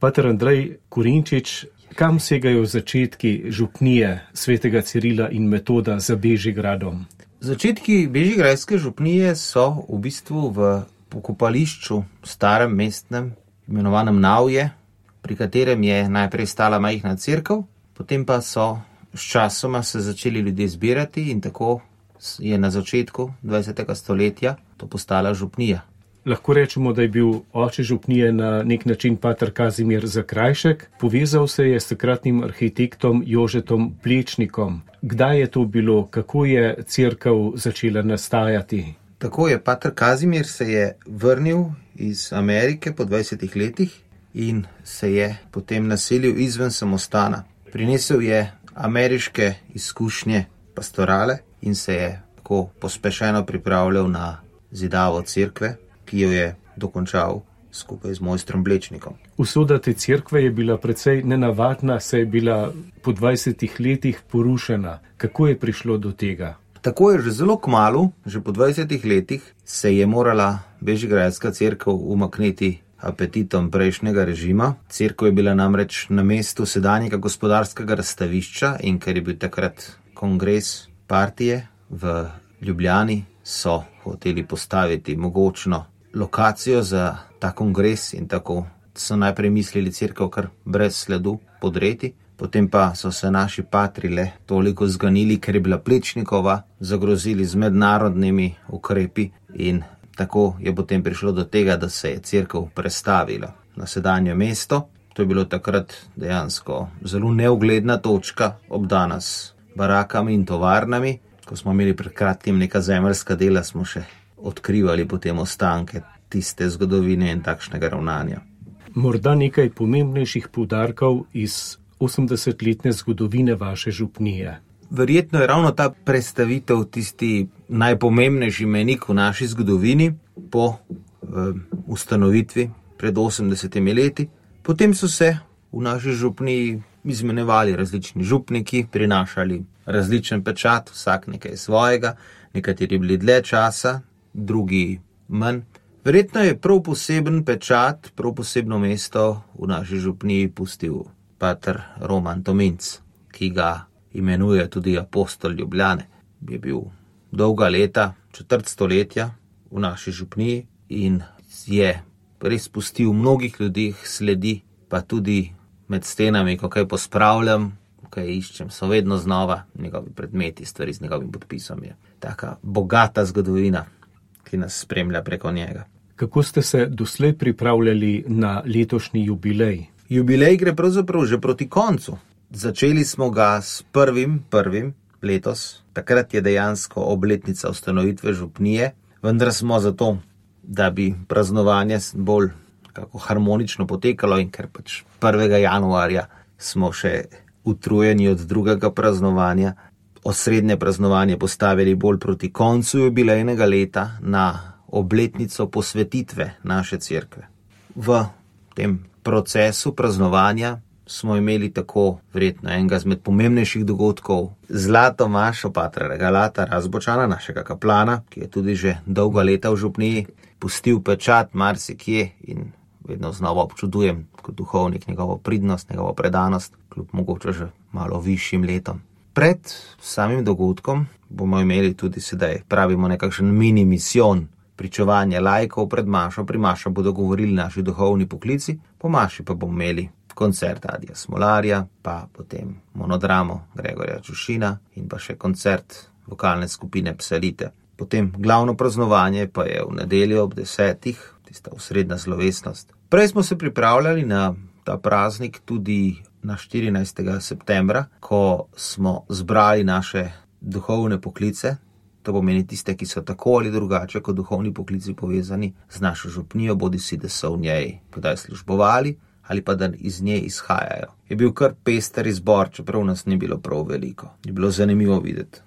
Pater Andrej Korinčič, kam segajo začetki župnije svetega Cirila in Metoda za Bežigradom? Začetki bežigradske župnije so v bistvu v pokopališču starem mestnem, imenovanem Navje, pri katerem je najprej stala majhna cerkev, potem pa so sčasoma se začeli ljudje zbirati in tako je na začetku 20. stoletja to postala župnija. Lahko rečemo, da je bil oče župnije na nek način pater Kazimir Zakrajšek, povezal se je s takratnim arhitektom Jožetom Plečnikom. Kdaj je to bilo, kako je cerkev začela nastajati? Tako je, pater Kazimir se je vrnil iz Amerike po 20 letih in se je potem naselil izven samostana. Prinesel je ameriške izkušnje pastorale in se je tako pospešeno pripravljal na zidavo cerkve, ki jo je dokončal skupaj z mojstrom Plečnikom. Usoda te cerkve je bila precej nenavadna, saj je bila po 20 letih porušena. Kako je prišlo do tega? Tako je že zelo kmalu, že po 20 letih, se je morala bežigradska cerkev umakniti apetitom prejšnjega režima. Cerkev je bila namreč na mestu sedanjega gospodarskega razstavišča in ker je bil takrat kongres partije v Ljubljani, so hoteli postaviti mogočno lokacijo za ta kongres in tako so najprej mislili cerkev kar brez sledu podreti. Potem pa so se naši patri le toliko zganili, ker je bila Plečnikova, zagrozili z mednarodnimi ukrepi in tako je potem prišlo do tega, da se je cerkev prestavila na sedanje mesto. To je bilo takrat dejansko zelo neugledna točka, obdana s barakami in tovarnami. Ko smo imeli pred kratkim neka zemeljska dela, smo še odkrivali potem ostanke tiste zgodovine in takšnega ravnanja. Morda nekaj pomembnejših poudarkov iz 80-letne zgodovine vaše župnije. Verjetno je ravno ta prestavitev tisti najpomembnejši mejnik v naši zgodovini po ustanovitvi pred 80 leti. Potem so se v naši župniji izmenjevali različni župniki, prinašali različen pečat, vsak nekaj svojega, nekateri bili dlje časa, drugi manj. Verjetno je prav poseben pečat, prav posebno mesto v naši župniji pustil pater Roman Tominc, ki ga imenuje tudi apostol Ljubljane. Je bil dolga leta, četrt stoletja v naši župniji in je res pustil mnogih ljudeh sledi, pa tudi med stenami, ko kaj pospravljam, ko kaj iščem, so vedno znova njegovi predmeti, stvari z njegovim podpisom. Je taka bogata zgodovina, ki nas spremlja preko njega. Kako ste se doslej pripravljali na letošnji jubilej? Jubilej gre pravzaprav že proti koncu. Začeli smo ga s 1.1. letos. Takrat je dejansko obletnica ustanovitve župnije, vendar smo zato, da bi praznovanje bolj kako harmonično potekalo in ker pač 1. januarja smo še utrujeni od drugega praznovanja, osrednje praznovanje postavili bolj proti koncu jubilejnega leta na obletnico posvetitve naše cerkve. V tem procesu praznovanja smo imeli tako verjetno enega izmed pomembnejših dogodkov zlato mašo patra Regalata Razbočana, našega kaplana, ki je tudi že dolga leta v župniji, pustil pečat marsikje in vedno znova občudujem kot duhovnik njegovo pridnost, njegovo predanost, kljub mogoče že malo višjim letom. Pred samim dogodkom bomo imeli tudi sedaj, pravimo, nekakšen mini misijon, pričevanje laikov pred mašo. Pri mašo bodo govorili naši duhovni poklici, po maši pa bomo imeli koncert Adija Smolarja, pa potem monodramo Gregorja Čušina in pa še koncert vokalne skupine Psalite. Potem glavno praznovanje pa je v nedeljo ob 10, tista osrednja slovesnost. Prej smo se pripravljali na ta praznik tudi na 14. septembra, ko smo zbrali naše duhovne poklice. To pomeni tiste, ki so tako ali drugače kot duhovni poklici povezani z našo župnijo, bodisi da so v njej kdaj službovali ali pa da iz nje izhajajo. Je bil kar pester izbor, čeprav nas ni bilo prav veliko. Je bilo zanimivo videti.